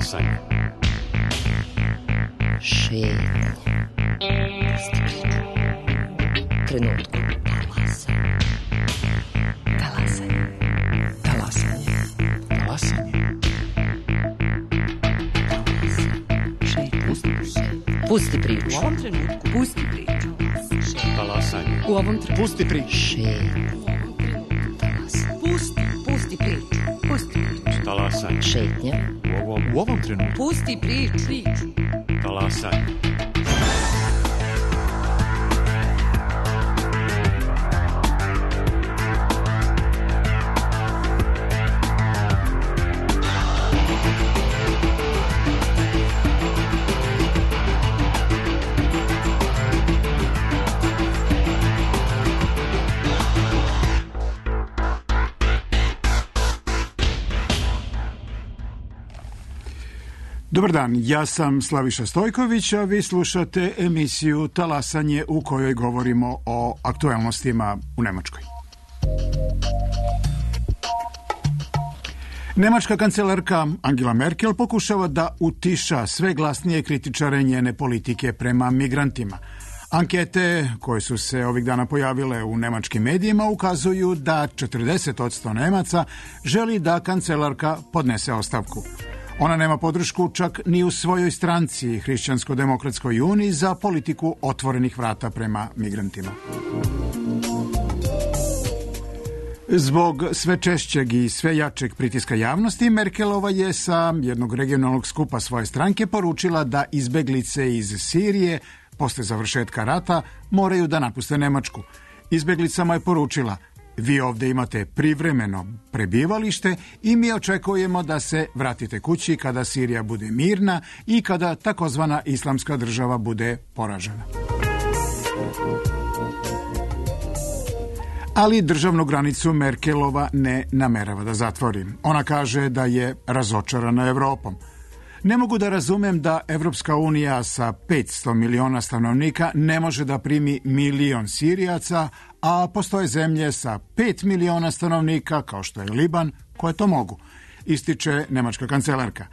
Talasanje. Šetnje. Trenutku. Talasanje. Talasanje. Talasanje. Pusti priču. U ovom trenutku pusti priču. Talasanje. U ovom trenutku Pusti priču. Šetnje. pusti priču. Pusti priču. Talasanje. Šetnje. U ovom trenutku. Pusti priču. Talasanje. Dobar dan, ja sam Slaviša Stojković, a vi slušate emisiju Talasanje u kojoj govorimo o aktuelnostima u Nemačkoj. Nemačka kancelarka Angela Merkel pokušava da utiša sve glasnije kritičare njene politike prema migrantima. Ankete koje su se ovih dana pojavile u nemačkim medijima ukazuju da 40% Nemaca želi da kancelarka podnese ostavku. Ona nema podršku čak ni u svojoj stranci, Hrišćansko-demokratskoj uniji, za politiku otvorenih vrata prema migrantima. Zbog sve češćeg i sve jačeg pritiska javnosti, Merkelova je sa jednog regionalnog skupa svoje stranke poručila da izbeglice iz Sirije posle završetka rata moraju da napuste Nemačku. Izbeglicama je poručila: vi ovdje imate privremeno prebivalište i mi očekujemo da se vratite kući kada Sirija bude mirna i kada takozvana islamska država bude poražena. Ali državnu granicu Merkelova ne namerava da zatvori. Ona kaže da je razočarana Evropom. Ne mogu da razumem da Evropska unija sa 500 miliona stanovnika ne može da primi 1 milion Sirijaca, a postoje zemlje sa 5 miliona stanovnika, kao što je Liban, koje to mogu, ističe nemačka kancelarka.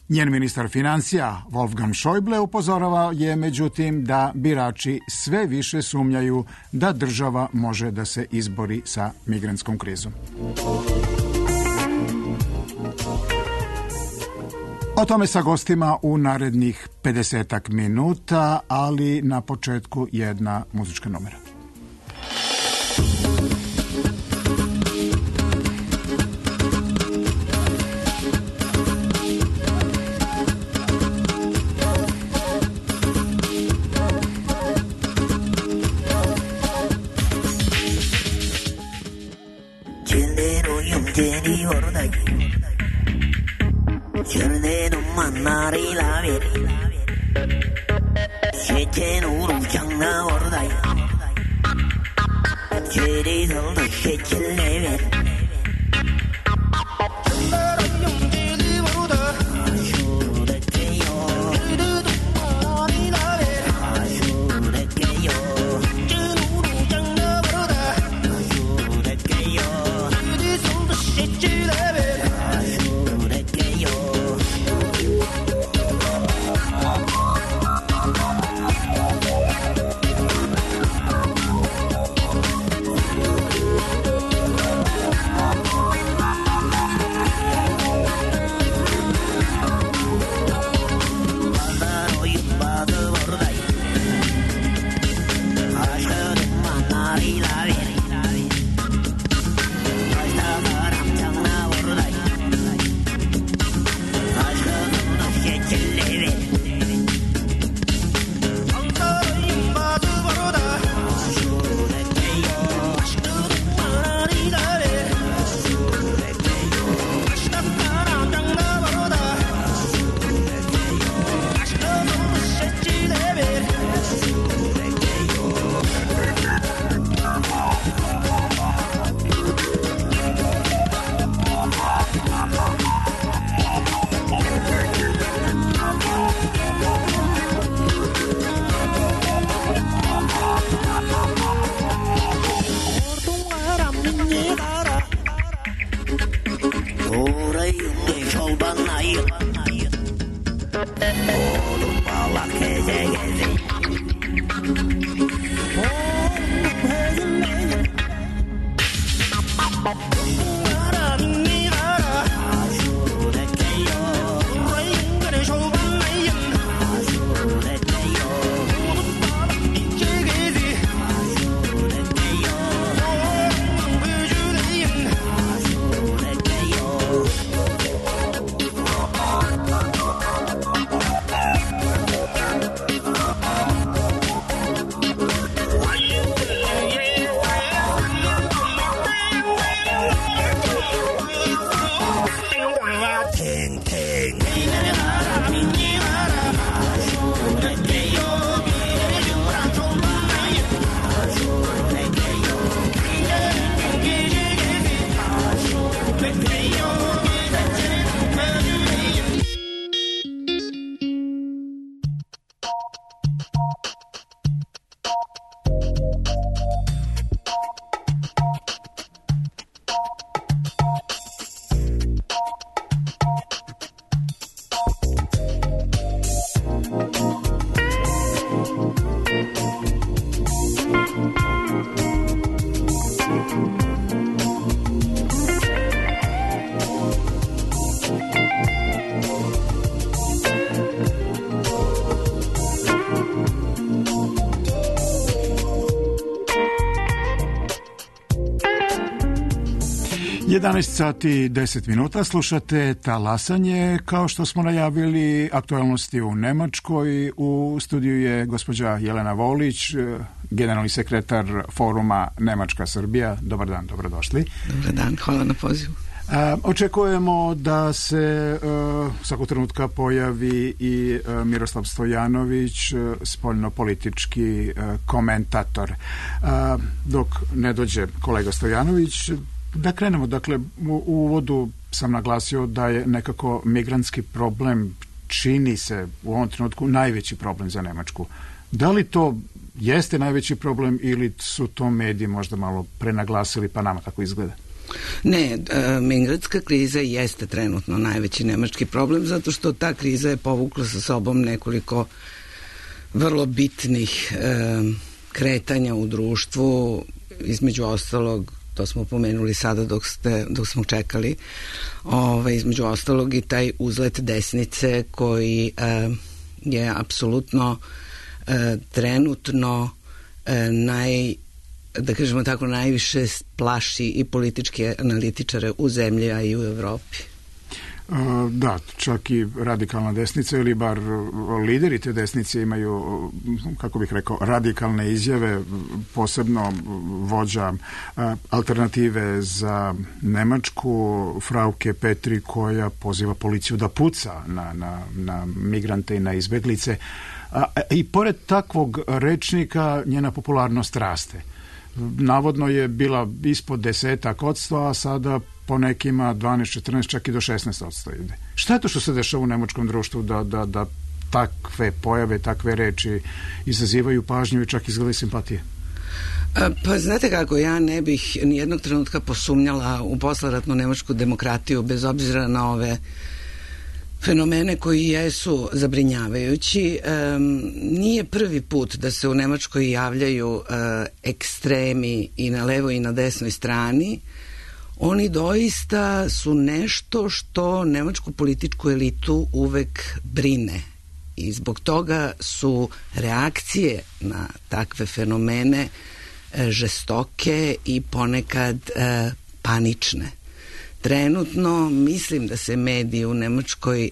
Njen ministar financija, Wolfgang Schäuble, upozorava je međutim da birači sve više sumnjaju da država može da se izbori sa migrantskom krizom. O tome sa gostima u narednih 50 minuta, ali na početku jedna muzička numera. Чернену маннари лавер Шечену ручаңна ордай Чери солды шечелевер 모두 빠박해지겠지. Sati 10 minuta, slušate Talasanje. Kao što smo najavili, aktualnosti u Nemačkoj. U studiju je gospođa Jelena Volić, generalni sekretar foruma Nemačka-Srbija. Dobar dan, dobrodošli. Dobar dan, hvala na pozivu. Očekujemo da se svakog trenutka pojavi i Miroslav Stojanović, spoljnopolitički komentator. Dok ne dođe kolega Stojanović, da krenemo, dakle, u uvodu sam naglasio da je nekako migrantski problem, čini se u ovom trenutku, najveći problem za Nemačku. Da li to jeste najveći problem ili su to mediji možda malo prenaglasili pa nama tako izgleda? Ne, migrantska kriza jeste trenutno najveći nemački problem, zato što ta kriza je povukla sa sobom nekoliko vrlo bitnih kretanja u društvu, između ostalog, to smo pomenuli sada dok smo čekali, između ostalog i taj uzlet desnice koji je apsolutno trenutno da kažemo tako, najviše plaši i političke analitičare u zemlji, a i u Evropi. Da, čak i radikalna desnica ili bar lideri te desnice imaju, kako bih rekao, radikalne izjave, posebno vođa Alternative za Nemačku, Frauke Petri, koja poziva policiju da puca na migrante i na izbeglice. I pored takvog rečnika njena popularnost raste. Navodno je bila ispod 10%, a sada po nekima 12, 14, čak i do 16% ide. Šta je to što se dešava u nemačkom društvu da takve pojave, takve reči izazivaju pažnju i čak izgleda simpatije? Pa znate kako, ja ne bih nijednog trenutka posumnjala u posleratnu nemačku demokratiju, bez obzira na ove fenomene koji jesu zabrinjavajući. Nije prvi put da se u Nemačkoj javljaju ekstremi i na levoj i na desnoj strani. Oni doista su nešto što nemačku političku elitu uvek brine. I zbog toga su reakcije na takve fenomene žestoke i ponekad panične. Trenutno mislim da se mediji u Nemačkoj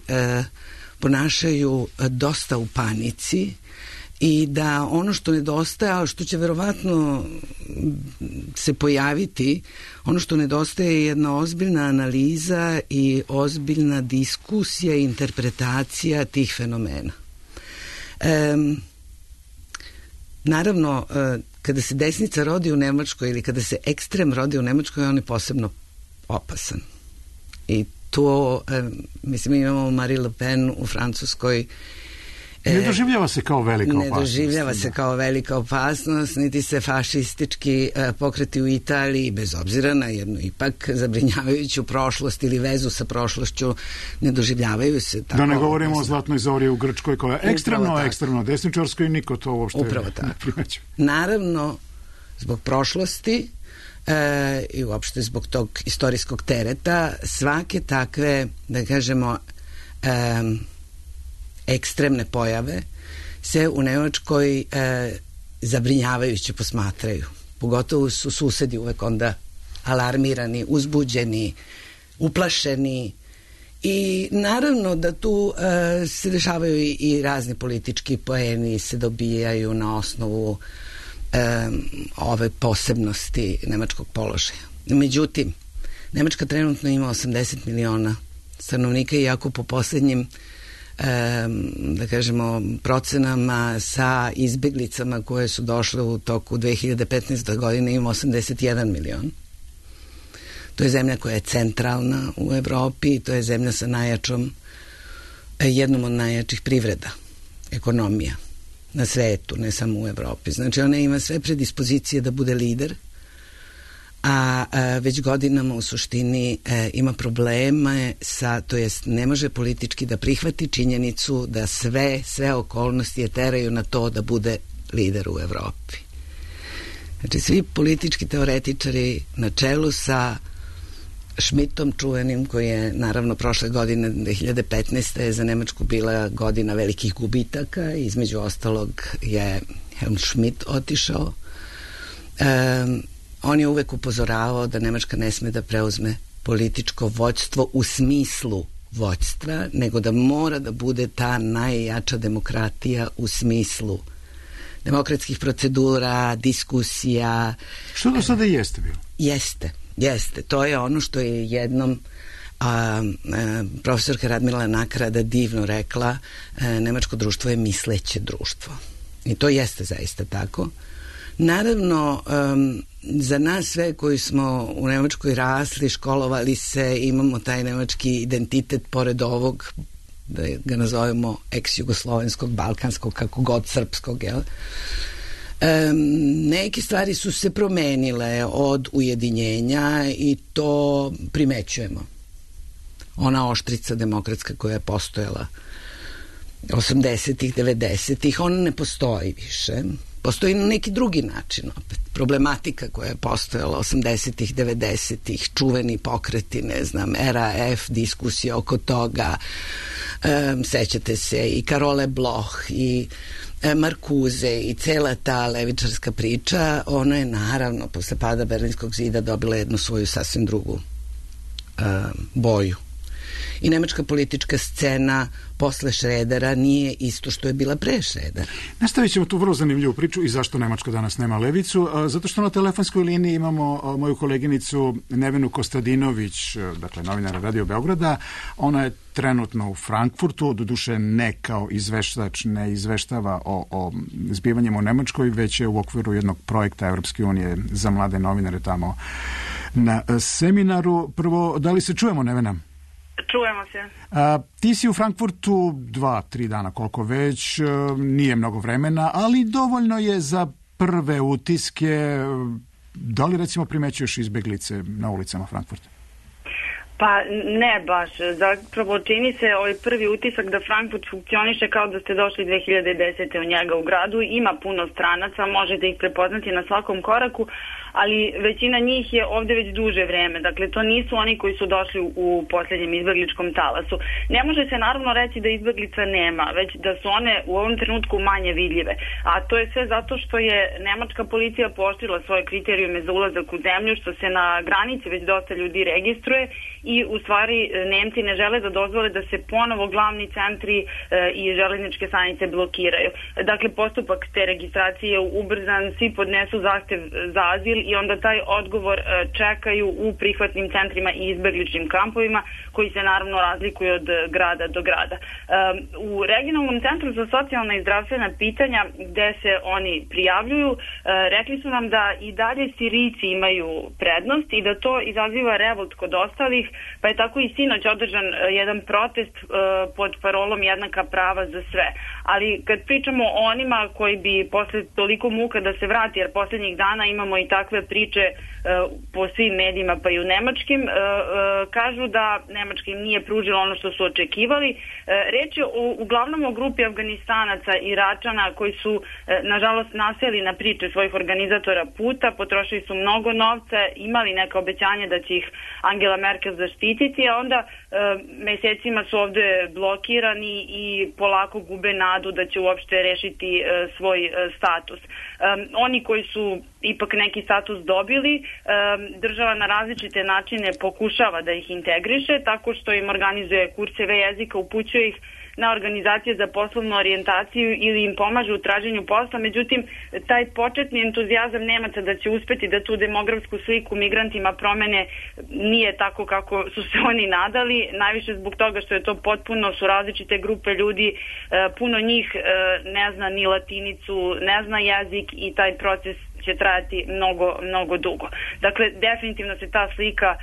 ponašaju dosta u panici i da ono što nedostaje, a što će verovatno se pojaviti, ono što nedostaje je jedna ozbiljna analiza i ozbiljna diskusija i interpretacija tih fenomena. Naravno, kada se desnica rodi u Nemačkoj ili kada se ekstrem rodi u Nemačkoj, on je posebno opasan. I to, mislim, imamo Marie Le Pen u Francuskoj Ne doživljava se kao velika opasnost. Ne doživljava se kao velika opasnost, niti se fašistički pokreti u Italiji, bez obzira na jednu ipak zabrinjavajuću prošlost ili vezu sa prošlošću, ne doživljavaju se tako. Da ne govorimo o zlatnoj zori u Grčkoj koja je ekstremno desničarska i niko to uopšte ne primećuje. Naravno, zbog prošlosti i uopšte zbog tog istorijskog tereta, svake takve, da kažemo, ekstremne pojave se u Nemačkoj zabrinjavajuće posmatraju. Pogotovo su susedi uvek onda alarmirani, uzbuđeni, uplašeni i naravno da tu se dešavaju i razni politički poeni se dobijaju na osnovu ove posebnosti nemačkog položaja. Međutim, Nemačka trenutno ima 80 miliona stanovnika, iako po poslednjim da kažemo procenama sa izbeglicama koje su došle u toku 2015. godine ima 81 milion. To je zemlja koja je centralna u Evropi, to je zemlja sa jednom od najjačih privreda, ekonomija na svetu, ne samo u Evropi. Znači ona ima sve predispozicije da bude lider, a već godinama u suštini ima probleme sa, to jest ne može politički da prihvati činjenicu da sve okolnosti je teraju na to da bude lider u Evropi. Znači svi politički teoretičari na čelu sa Schmidtom čuvenim, koji je naravno prošle godine 2015. je za Nemačku bila godina velikih gubitaka, između ostalog je Helmut Schmidt otišao. On je uvek upozoravao da Nemačka ne sme da preuzme političko vođstvo u smislu vođstva, nego da mora da bude ta najjača demokratija u smislu demokratskih procedura, diskusija. Što do sada jeste bilo? Jeste. To je ono što je jednom profesorka Radmila Nakarada divno rekla, nemačko društvo je misleće društvo. I to jeste zaista tako. Naravno, za nas sve koji smo u Nemačkoj rasli, školovali se, imamo taj nemački identitet pored ovog, da ga nazovemo ex-jugoslovenskog, balkanskog, kako god, srpskog, jel? Neke stvari su se promenile od ujedinjenja i to primećujemo. Ona oštrica demokratska koja je postojala 80-ih, 90-ih, ona ne postoji više. Postoji na neki drugi način opet. Problematika koja je postojala 80-ih, 90-ih, čuveni pokreti, ne znam, RAF, diskusije oko toga, sećate se i Karole Bloch i Markuze i cela ta levičarska priča, ona je naravno posle pada Berlinskog zida dobila jednu svoju sasvim drugu boju. I nemačka politička scena posle Šredera nije isto što je bila pre Šredera. Nastavit ćemo tu vrlo zanimljivu priču i zašto Nemačka danas nema levicu. Zato što na telefonskoj liniji imamo moju koleginicu Nevenu Kostadinović, dakle novinara Radio Beograda. Ona je trenutno u Frankfurtu, doduše ne kao izveštač, ne izveštava o zbivanjima u Nemačkoj, već je u okviru jednog projekta Evropske unije za mlade novinare tamo na seminaru. Prvo, da li se čujemo, Nevena? Čujemo se. Ti si u Frankfurtu 2-3 dana, koliko već, nije mnogo vremena, ali dovoljno je za prve utiske. Da li recimo primećuješ izbeglice na ulicama Frankfurta? Pa ne baš. Zapravo čini se ovaj prvi utisak da Frankfurt funkcioniše kao da ste došli 2010. u njega u gradu. Ima puno stranaca, možete ih prepoznati na svakom koraku, ali većina njih je ovde već duže vreme. Dakle, to nisu oni koji su došli u posljednjem izbegličkom talasu. Ne može se naravno reći da izbeglica nema, već da su one u ovom trenutku manje vidljive. A to je sve zato što je nemačka policija pooštrila svoje kriterijume za ulazak u zemlju, što se na granici već dosta ljudi registruje i u stvari Nemci ne žele da dozvole da se ponovo glavni centri i železničke stanice blokiraju. Dakle, postupak te registracije je ubrzan, svi podnesu zahtev za azil i onda taj odgovor čekaju u prihvatnim centrima i izbegličkim kampovima koji se naravno razlikuju od grada do grada. U regionalnom centru za socijalna i zdravstvena pitanja gde se oni prijavljuju, rekli su nam da i dalje Sirijci imaju prednost i da to izaziva revolt kod ostalih, pa je tako i sinoć održan jedan protest pod parolom jednaka prava za sve. Ali kad pričamo o onima koji bi posle toliko muka da se vrati, jer posljednjih dana imamo i takve priče po svim medijima pa i u nemačkim, kažu da Nemačka im nije pružila ono što su očekivali. Reč je uglavnom o grupi Afganistanaca i Iračana koji su nažalost naseli na priče svojih organizatora puta, potrošili su mnogo novca, imali neka obećanja da će ih Angela Merkel zaštititi, a onda mesecima su ovde blokirani i polako gube nadu da će uopšte rešiti svoj status. Oni koji su ipak neki status dobili, država na različite načine pokušava da ih integriše tako što im organizuje kurseve jezika, upućuje ih na organizacije za poslovnu orijentaciju ili im pomažu u traženju posla. Međutim, taj početni entuzijazam Nemaca da će uspeti da tu demografsku sliku migrantima promene nije tako kako su se oni nadali, najviše zbog toga što je to potpuno, su različite grupe ljudi, puno njih ne zna ni latinicu, ne zna jezik i taj proces će trajati mnogo dugo. Dakle, definitivno se ta slika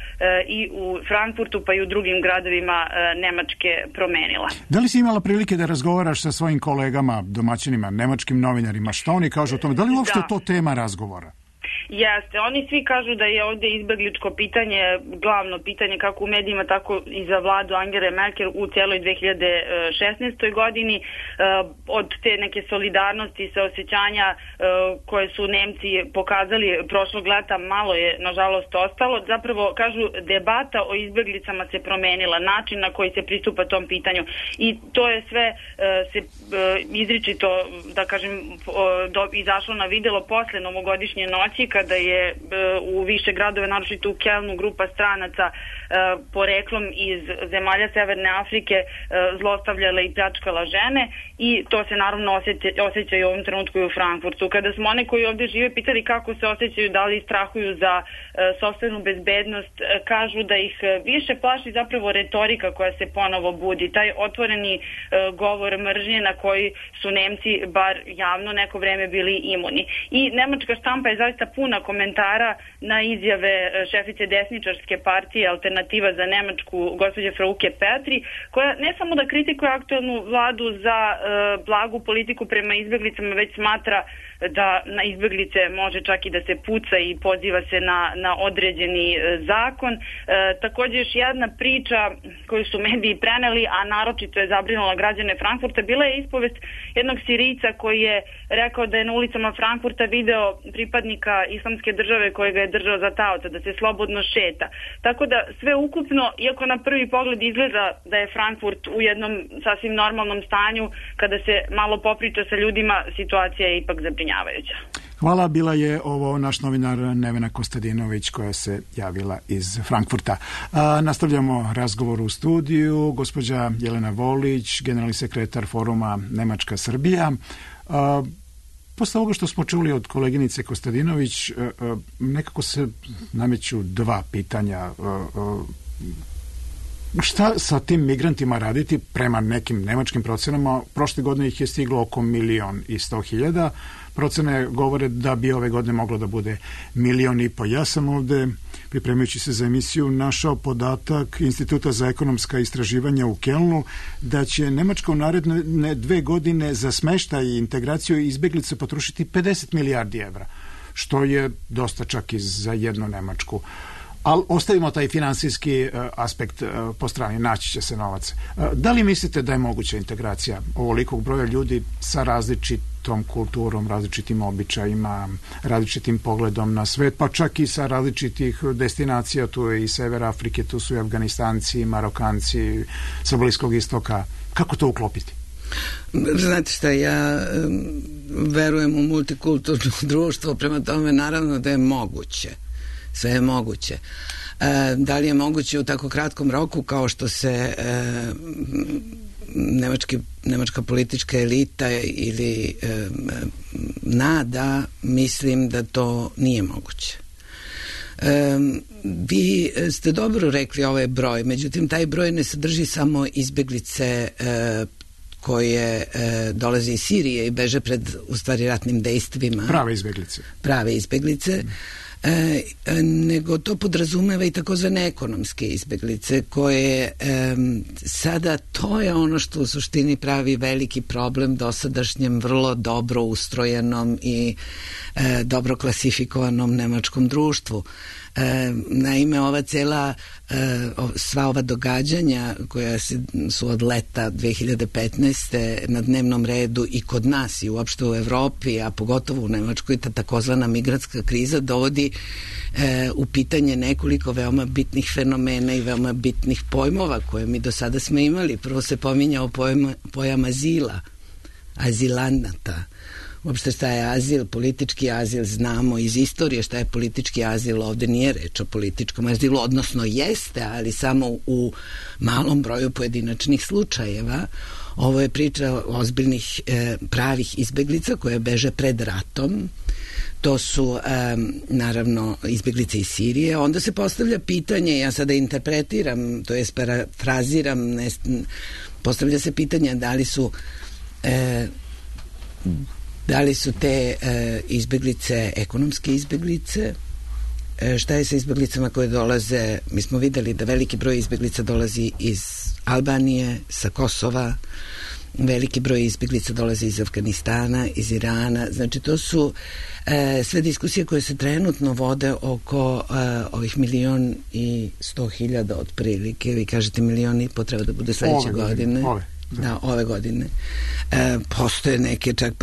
i u Frankfurtu pa i u drugim gradovima Nemačke promenila. Da li si imala prilike da razgovaraš sa svojim kolegama, domaćinima, nemačkim novinarima? Šta oni kažu o tome? Da li uopšte to tema razgovora? Jeste, oni svi kažu da je ovdje izbegličko pitanje glavno pitanje kako u medijima, tako i za vladu Angele Merkel u cijeloj 2016. godini. Od te neke solidarnosti, saosećanja koje su Nemci pokazali prošlog leta malo je nažalost ostalo. Zapravo, kažu, debata o izbeglicama se promenila, način na koji se pristupa tom pitanju i to je sve se izričito, da kažem, izašlo na videlo posle novogodišnje noći kada je u više gradove, naročito u Kelnu, grupa stranaca poreklom iz zemalja Severne Afrike zlostavljala i pljačkala žene i to se naravno osjeća i u ovom trenutku i u Frankfurtu. Kada smo one koji ovdje žive pitali kako se osjećaju, da li strahuju za sopstvenu bezbednost, kažu da ih više plaši zapravo retorika koja se ponovo budi, taj otvoreni govor mržnje na koji su Nemci bar javno neko vreme bili imuni. I nemačka štampa je zaista puna komentara na izjave šefice desničarske partije Alternativa za Nemačku, gospođe Frauke Petri, koja ne samo da kritikuje aktualnu vladu za blagu politiku prema izbeglicama, već smatra da na izbeglice može čak i da se puca i poziva se na određeni zakon. Također još jedna priča koju su mediji preneli, a naročito je zabrinula građane Frankfurta, bila je ispovest jednog Sirijca koji je rekao da je na ulicama Frankfurta video pripadnika Islamske države kojega je držao za taoca, da se slobodno šeta. Tako da sve ukupno, iako na prvi pogled izgleda da je Frankfurt u jednom sasvim normalnom stanju, kada se malo popriča sa ljudima, situacija je ipak zabrinjavajuća. Hvala, bila je ovo naš novinar Nevena Kostadinović koja se javila iz Frankfurta. Nastavljamo razgovor u studiju. Gospođa Jelena Volić, generalni sekretar foruma Nemačka Srbija. Posle ovoga što smo čuli od koleginice Kostadinović, nekako se nameću dva pitanja. Šta sa tim migrantima raditi prema nekim nemačkim procenama? Prošle godine ih je stiglo oko 1.100.000. Procene govore da bi ove godine moglo da bude 1,5 miliona. Ja sam ovde, pripremajući se za emisiju, našao podatak Instituta za ekonomska istraživanja u Kelnu da će Nemačka u naredne 2 godine za smeštaj i integraciju izbeglica potrošiti 50 milijardi evra, što je dosta čak i za jednu Nemačku. Ali ostavimo taj finansijski aspekt po strani, naći će se novac. Da li mislite da je moguća integracija ovolikog broja ljudi sa različitom kulturom, različitim običajima, različitim pogledom na svet, pa čak i sa različitih destinacija, tu je i Sever Afrike, tu su i Afganistanci, Marokanci, sa Bliskog istoka. Kako to uklopiti? Znate šta, ja verujem u multikulturno društvo, prema tome naravno da je moguće. Sve je moguće. Da li je moguće u tako kratkom roku kao što se nemačka politička elita ili nada, mislim da to nije moguće. Vi ste dobro rekli ovaj broj, međutim taj broj ne sadrži samo izbeglice koje dolaze iz Sirije i beže pred u stvari ratnim dejstvima. Prave izbeglice. Nego to podrazumeva i takozvane ekonomske izbeglice koje sada to je ono što u suštini pravi veliki problem dosadašnjem vrlo dobro ustrojenom i dobro klasifikovanom nemačkom društvu. Naime, ova cela sva ova događanja koja su od leta 2015. na dnevnom redu i kod nas i uopšte u Evropi, a pogotovo u Nemačkoj, ta takozvana migrantska kriza dovodi u pitanje nekoliko veoma bitnih fenomena i veoma bitnih pojmova koje mi do sada smo imali. Prvo se pominjao pojam azila, azilanata. Uopšte šta je azil, politički azil, znamo iz istorije šta je politički azil, ovde nije reč o političkom azilu, odnosno jeste, ali samo u malom broju pojedinačnih slučajeva. Ovo je priča ozbiljnih pravih izbeglica koje beže pred ratom. To su naravno izbeglice iz Sirije. Onda se postavlja pitanje, ja sada interpretiram, to jest parafraziram, postavlja se pitanje da li su te izbeglice ekonomske izbeglice, šta je sa izbeglicama koje dolaze, mi smo videli da veliki broj izbeglica dolazi iz Albanije, sa Kosova, veliki broj izbeglica dolazi iz Afganistana, iz Irana, znači to su sve diskusije koje se trenutno vode oko ovih 1.100.000 otprilike, vi kažete 1,5 miliona treba da bude sledeće godine. Ove godine. Postoje neke čak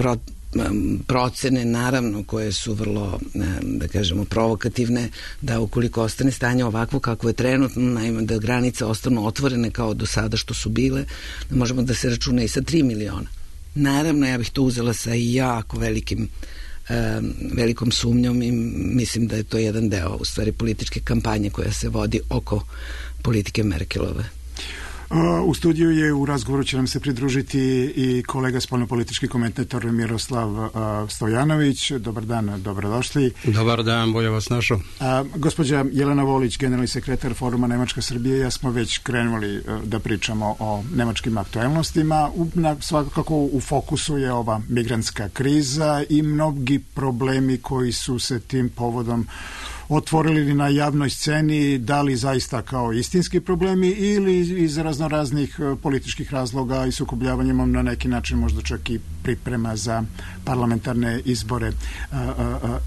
procene naravno koje su vrlo, da kažemo, provokativne, da ukoliko ostane stanje ovakvo kako je trenutno, naime da granice ostanu otvorene kao do sada što su bile, da možemo da se računa i sa 3 miliona. Naravno, ja bih to uzela sa jako velikom sumnjom i mislim da je to jedan deo u stvari političke kampanje koja se vodi oko politike Merkelove. U studiju je, u razgovoru će nam se pridružiti i kolega spoljnopolitički komentator Miroslav Stojanović. Dobar dan, dobrodošli. Dobar dan, bolje vas našao. Gospođa Jelena Volić, generalni sekretar Foruma Nemačka Srbije, ja smo već krenuli da pričamo o nemačkim aktuelnostima. Svakako u fokusu je ova migrantska kriza i mnogi problemi koji su se tim povodom otvorili na javnoj sceni, da li zaista kao istinski problemi ili iz raznoraznih političkih razloga i sukobljavanjem na neki način možda čak i priprema za parlamentarne izbore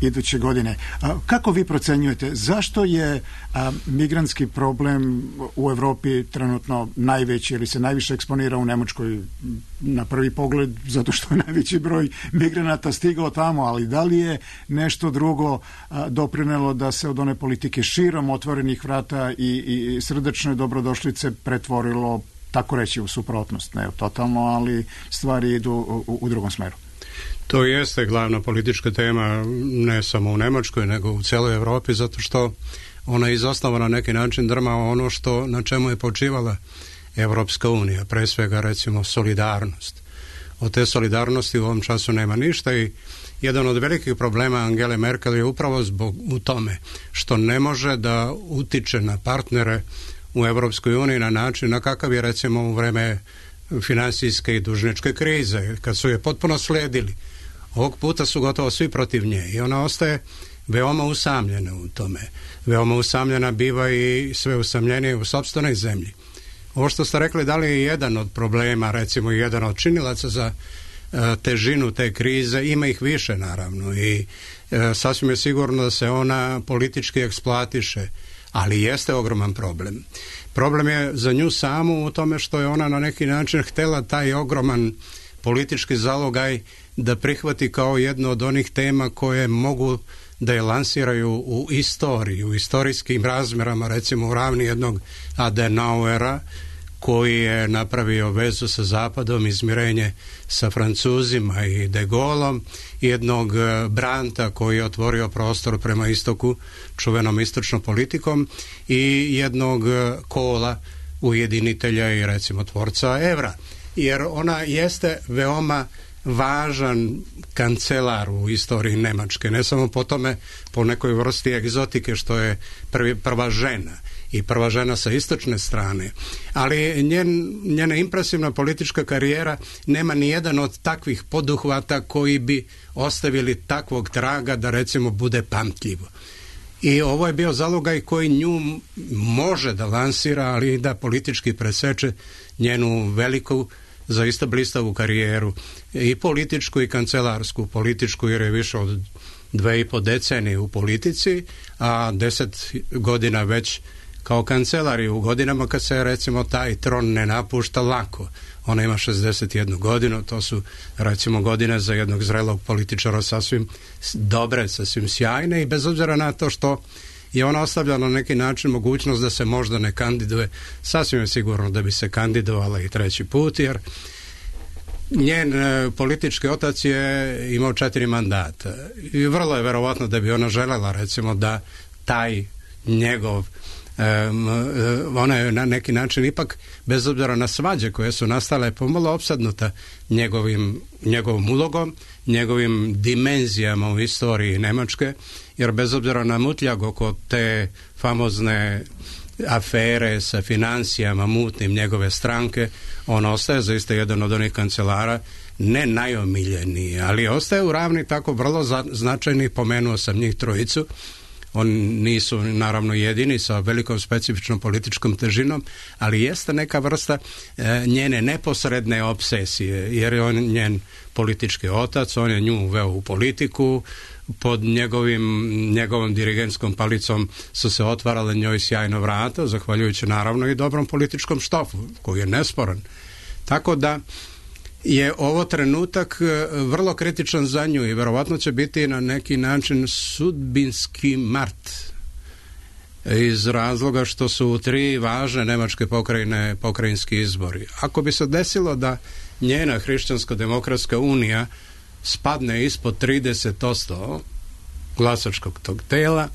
iduće godine. Kako vi procenjujete, zašto je migrantski problem u Evropi trenutno najveći ili se najviše eksponira u Nemačkoj na prvi pogled zato što je najveći broj migranata stigao tamo, ali da li je nešto drugo doprinelo da se od one politike širom otvorenih vrata i srdečne dobrodošlice pretvorilo, tako reći, u suprotnost? Ne totalno, ali stvari idu u drugom smeru. To jeste glavna politička tema ne samo u Nemačkoj nego u celoj Evropi, zato što ona iz osnova na neki način drma ono što na čemu je počivala Evropska unija, pre svega recimo solidarnost. Od te solidarnosti u ovom času nema ništa i jedan od velikih problema Angele Merkel je upravo u tome što ne može da utiče na partnere u Evropskoj uniji na način na kakav je recimo u vreme finansijske i dužničke krize, kad su je potpuno sledili. Ovog puta su gotovo svi protiv nje i ona ostaje veoma usamljena u tome. Veoma usamljena biva i sve usamljenije u sopstvenoj zemlji. Ovo što ste rekli, da li je jedan od problema, recimo jedan od činilaca za težinu te krize, ima ih više naravno i sasvim je sigurno da se ona politički eksploatiše, ali jeste ogroman problem. Problem je za nju samu u tome što je ona na neki način htela taj ogroman politički zalogaj da prihvati kao jedno od onih tema koje mogu da je lansiraju u istoriji, u istorijskim razmerama, recimo u ravni jednog Adenauera koji je napravio vezu sa Zapadom, izmirenje sa Francuzima i De Gaulom, jednog Brandta koji je otvorio prostor prema istoku čuvenom istočnom politikom i jednog Kohla, ujedinitelja i recimo tvorca evra. Jer ona jeste veoma važan kancelar u istoriji Nemačke, ne samo po tome, po nekoj vrsti egzotike što je prva žena i prva žena sa istočne strane, ali njena impresivna politička karijera nema ni jedan od takvih poduhvata koji bi ostavili takvog traga da recimo bude pamtljivo. I ovo je bio zalogaj koji nju može da lansira, ali i da politički preseče njenu veliku, zaista blistavu karijeru, i političku i kancelarsku. Političku jer je više od 2,5 decenije u politici, a 10 godina već kao kancelar, i u godinama kad se recimo taj tron ne napušta lako. Ona ima 61 godinu, to su recimo godine za jednog zrelog političara sasvim dobre, sasvim sjajne, i bez obzira na to što je ona ostavljala na neki način mogućnost da se možda ne kandiduje, sasvim je sigurno da bi se kandidovala i treći put, jer njen politički otac je imao 4 mandata i vrlo je verovatno da bi ona želela recimo da taj njegov ona je na neki način ipak, bez obzira na svađe koje su nastale, pomalo opsadnuta njegovom ulogom, njegovim dimenzijama u istoriji Nemačke, jer bez obzira na mutljag oko te famozne afere sa financijama mutnim njegove stranke, on ostaje zaista jedan od onih kancelara, ne najomiljeniji, ali ostaje u ravni tako vrlo značajni. Pomenuo sam njih trojicu. Oni nisu naravno jedini sa velikom specifičnom političkom težinom, ali jeste neka vrsta njene neposredne obsesije, jer je on njen politički otac, on je nju uveo u politiku, pod njegovom dirigentskom palicom su se otvarale njoj sjajno vrata, zahvaljujući naravno i dobrom političkom štofu, koji je nesporan. Tako da je ovo trenutak vrlo kritičan za nju i verovatno će biti na neki način sudbinski mart, iz razloga što su 3 važne nemačke pokrajine pokrajinski izbori. Ako bi se desilo da njena Hrišćansko-demokratska unija spadne ispod 30% glasačkog tog tela,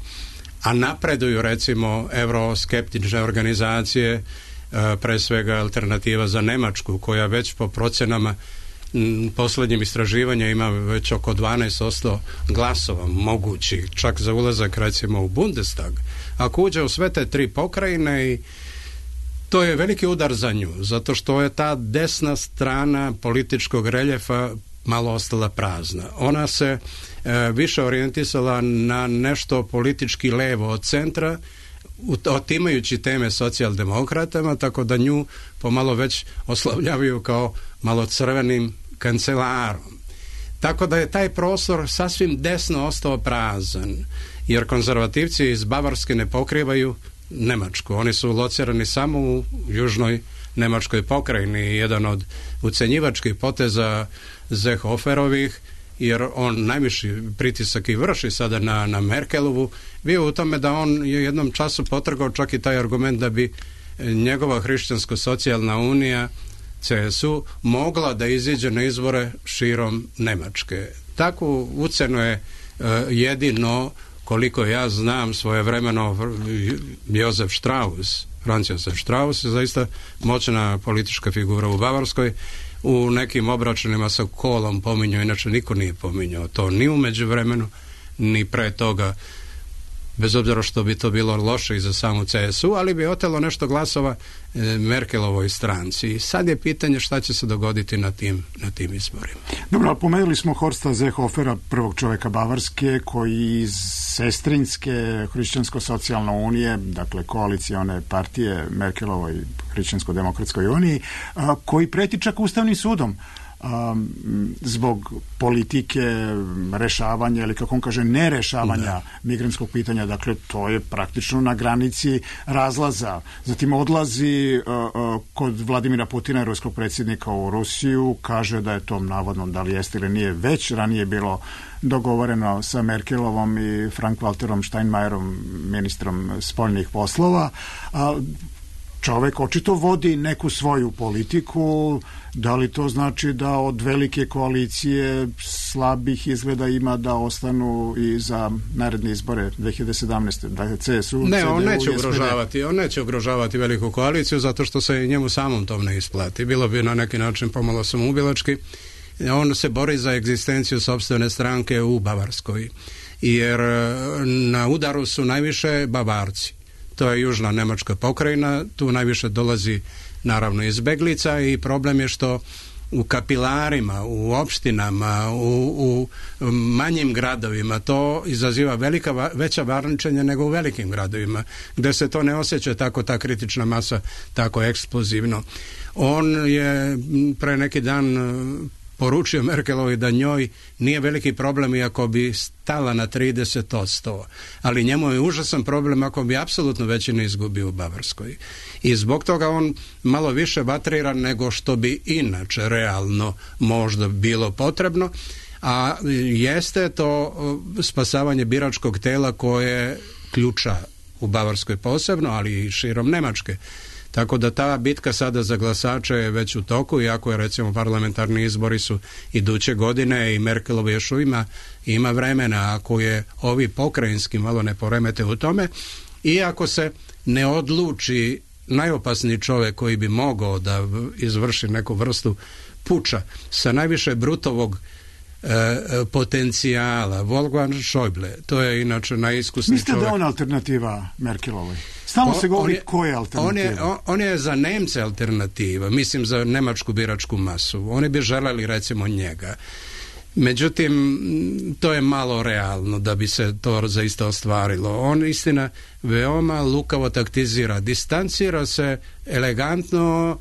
a napreduju recimo euroskeptične organizacije, pre svega Alternativa za Nemačku, koja već po procenama posljednjim istraživanja ima već oko 12% glasova mogućih, čak za ulazak recimo u Bundestag. Ako uđe u sve te 3 pokrajine, i to je veliki udar za nju, zato što je ta desna strana političkog reljefa malo ostala prazna. Ona se više orijentisala na nešto politički levo od centra, otimajući teme socijaldemokratama, tako da nju pomalo već oslavljavaju kao malo crvenim kancelarom. Tako da je taj prostor sasvim desno ostao prazan, jer konzervativci iz Bavarske ne pokrivaju Nemačku. Oni su locirani samo u južnoj nemačkoj pokrajini. Jedan od ucenjivačkih poteza Seehoferovih, jer on najviši pritisak i vrši sada na Merkelovu, bio u tome da on je jednom času potrgao čak i taj argument da bi njegova Hrišćansko-socijalna unija CSU mogla da iziđe na izbore širom Nemačke. Takvu ucenu je jedino, koliko ja znam, svojevremeno Josef Strauss, Franz Josef Strauss, je zaista moćna politička figura u Bavarskoj. U nekim obračunima sa Kohlom pominjao, inače niko nije pominjao to ni u međuvremenu, ni pre toga, bez obzira što bi to bilo loše i za samu CSU, ali bi otelo nešto glasova Merkelovoj stranci. I sad je pitanje šta će se dogoditi na tim izborima. Dobro, pomenuli smo Horsta Seehofera, prvog čoveka Bavarske, koji iz sestrinske Hrišćansko-socijalne unije, dakle koalicione partije Merkelovoj Hrišćansko-demokratskoj uniji, koji preti čak Ustavnim sudom zbog politike rešavanja, ili kako on kaže, nerešavanja migrantskog pitanja. Dakle, to je praktično na granici razlaza. Zatim odlazi kod Vladimira Putina, ruskog predsjednika, u Rusiju, kaže da je to navodno, da li jeste ili nije, već ranije bilo dogovoreno sa Merkelovom i Frank-Walterom Steinmeierom, ministrom spoljnih poslova. Čovek očito vodi neku svoju politiku. Da li to znači da od velike koalicije slabih izgleda ima da ostanu i za naredne izbore 2017. Dakle, CSU, ne, CDU, on neće ugrožavati veliku koaliciju, zato što se njemu samom to ne isplati. Bilo bi na neki način pomalo samoubilački. On se bori za egzistenciju sopstvene stranke u Bavarskoj, jer na udaru su najviše Bavarci. To je južna nemačka pokrajina, tu najviše dolazi naravno izbeglica i problem je što u kapilarima, u opštinama, u manjim gradovima to izaziva veća varničenja nego u velikim gradovima, gde se to ne osjeća tako, ta kritična masa tako eksplozivno. On je pre neki dan poručio Merkelovi da njoj nije veliki problem iako bi stala na 30%, ali njemu je užasan problem ako bi apsolutno većinu izgubio u Bavarskoj. I zbog toga on malo više vatrira nego što bi inače realno možda bilo potrebno, a jeste to spasavanje biračkog tela koje ključa u Bavarskoj posebno, ali i širom Nemačke. Tako da ta bitka sada za glasače je već u toku, iako je recimo parlamentarni izbori su iduće godine i Merkelova još ima vremena, ako je ovi pokrajinski malo ne poremete u tome, i ako se ne odluči najopasniji čovjek koji bi mogao da izvrši neku vrstu puča sa najviše brutovog potencijala, Wolfgang Schäuble, to je inače najiskusniji čovjek. Mislite da on alternativa Merkelovoj? Stalno se govori ko je alternativa. On je za Nemce alternativa, mislim za nemačku biračku masu. Oni bi želeli recimo njega. Međutim, to je malo realno da bi se to zaista ostvarilo. On istina veoma lukavo taktizira, distancira se elegantno,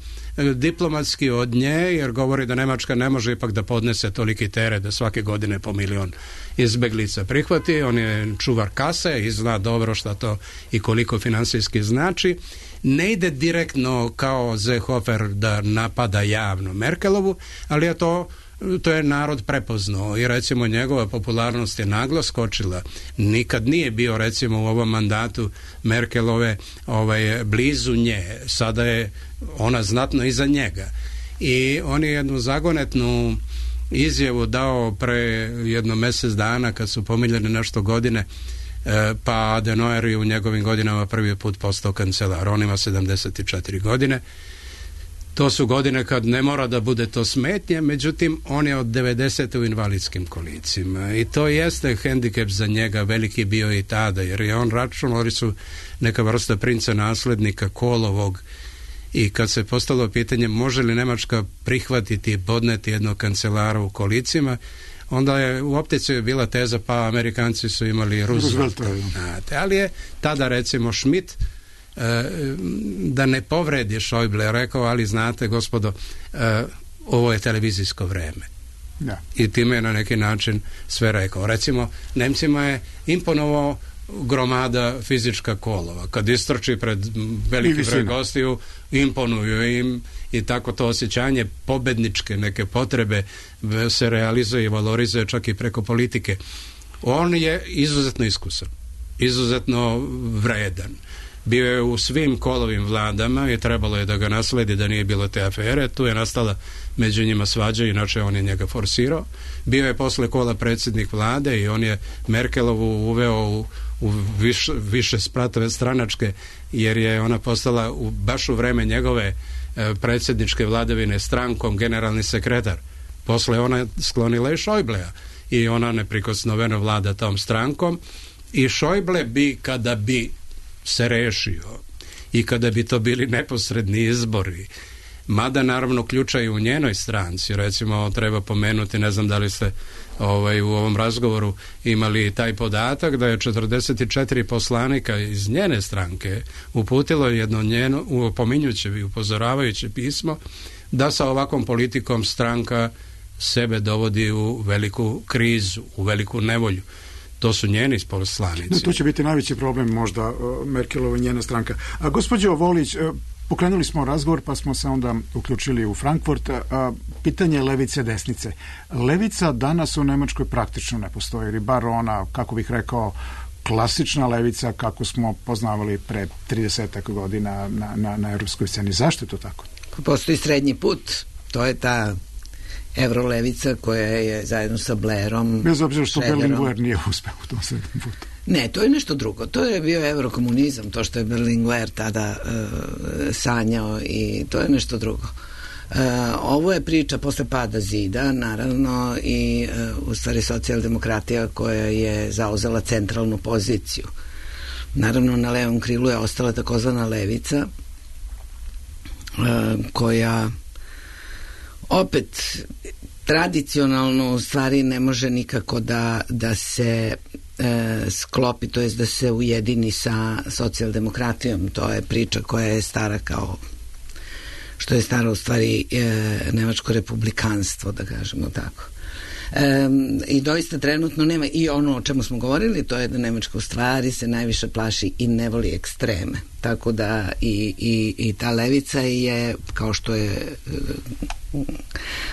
diplomatski od nje, jer govori da Nemačka ne može ipak da podnese toliki teret da svake godine po 1 milion izbeglica prihvati. On je čuvar kase i zna dobro šta to i koliko finansijski znači. Ne ide direktno kao Seehofer da napada javno Merkelovu, ali je to je narod prepoznao i recimo njegova popularnost je naglo skočila. Nikad nije bio recimo u ovom mandatu Merkelove blizu nje. Sada je ona znatno iza njega. I on je jednu zagonetnu izjavu dao pre jedno mjesec dana kad su pomiljene nešto godine, pa Adenauer je u njegovim godinama prvi put postao kancelar. On ima 74 godine. To su godine kad ne mora da bude to smetnje, međutim on je od 90. u invalidskim kolicima i to jeste hendikep za njega, veliki bio i tada, jer je on računali su neka vrsta princa naslednika Kolovog, i kad se postalo pitanje može li Nemačka prihvatiti i podneti jednog kancelara u kolicima, onda je u optici bila teza pa Amerikanci su imali Roosevelta. Ali je tada recimo Schmidt da ne povredi Schäuble rekao, ali znate gospodo, ovo je televizijsko vreme. Da. I time je na neki način sve rekao. Recimo, Nemcima je imponovao gromada fizička Kolova. Kad istrči pred veliki broj gostiju, imponuju im i tako to osjećanje pobedničke neke potrebe se realizuje i valorizuje čak i preko politike. On je izuzetno iskusan, izuzetno vredan. Bio je u svim Kolovim vladama i trebalo je da ga nasledi da nije bilo te afere. Tu je nastala među njima svađa, inače on je njega forsirao. Bio je posle Kola predsjednik vlade i on je Merkelovu uveo u više spratove stranačke, jer je ona postala baš u vreme njegove predsjedničke vladavine strankom generalni sekretar. Posle ona sklonila i Schäublea i ona neprikosnoveno vlada tom strankom i Schäuble bi, kada bi se rešio i kada bi to bili neposredni izbori, mada naravno ključa i u njenoj stranci, recimo treba pomenuti, ne znam da li ste u ovom razgovoru imali taj podatak da je 44 poslanika iz njene stranke uputilo jedno njeno opominjuće i upozoravajuće pismo da sa ovakvom politikom stranka sebe dovodi u veliku krizu, u veliku nevolju. To su njeni poslanici. To će biti najveći problem možda Merkelova i njena stranka. A gospođo Volić, pokrenuli smo razgovor pa smo se onda uključili u Frankfurt. Pitanje levice desnice. Levica danas u Nemačkoj praktično ne postoji, ili bar ona, kako bih rekao, klasična levica kako smo poznavali pre 30 godina na europskoj sceni. Zašto je to tako? Postoji srednji put. To je ta evrolevica koja je zajedno sa Blairom, bez obzira što Berlinguer nije uspeo u tom srednjem putu. Ne, to je nešto drugo. To je bio evrokomunizam, to što je Berlinguer tada sanjao, i to je nešto drugo. Ovo je priča posle pada zida, naravno, i u stvari socijaldemokratija koja je zauzela centralnu poziciju. Naravno, na levom krilu je ostala takozvana levica, koja opet tradicionalno u stvari ne može nikako da se sklopi, to jest da se ujedini sa socijaldemokratijom. To je priča koja je stara kao što je staro u stvari nemačko republikanstvo, da kažemo tako. I doista trenutno nema, i ono o čemu smo govorili, to je da Nemačka u stvari se najviše plaši i ne voli ekstreme, tako da i ta levica je, kao što je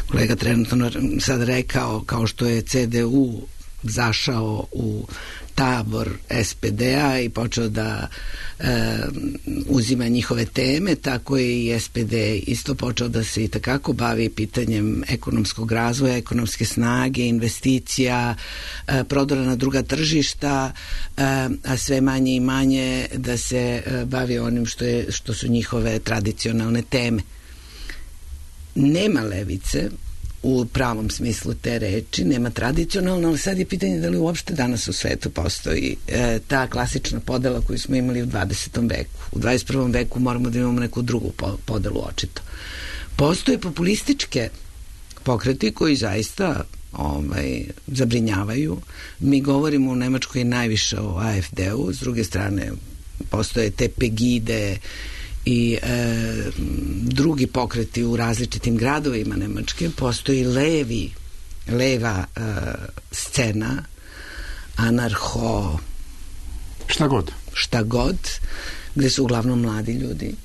kolega trenutno sad rekao, kao što je CDU zašao u tabor SPD-a i počeo da uzima njihove teme, tako je i SPD isto počeo da se i takako bavi pitanjem ekonomskog razvoja, ekonomske snage, investicija, prodora na druga tržišta, a sve manje i manje da se bavi onim što su njihove tradicionalne teme. Nema levice u pravom smislu te reči, nema tradicionalno, ali sad je pitanje da li uopšte danas u svetu postoji ta klasična podela koju smo imali u 20. veku. U 21. veku moramo da imamo neku drugu podelu očito. Postoje populističke pokreti koji zaista zabrinjavaju. Mi govorimo u Nemačkoj najviše o AfD-u, s druge strane postoje te Pegide i drugi pokreti u različitim gradovima Nemačke. Postoji leva scena, anarho, šta god, gde su uglavnom mladi ljudi.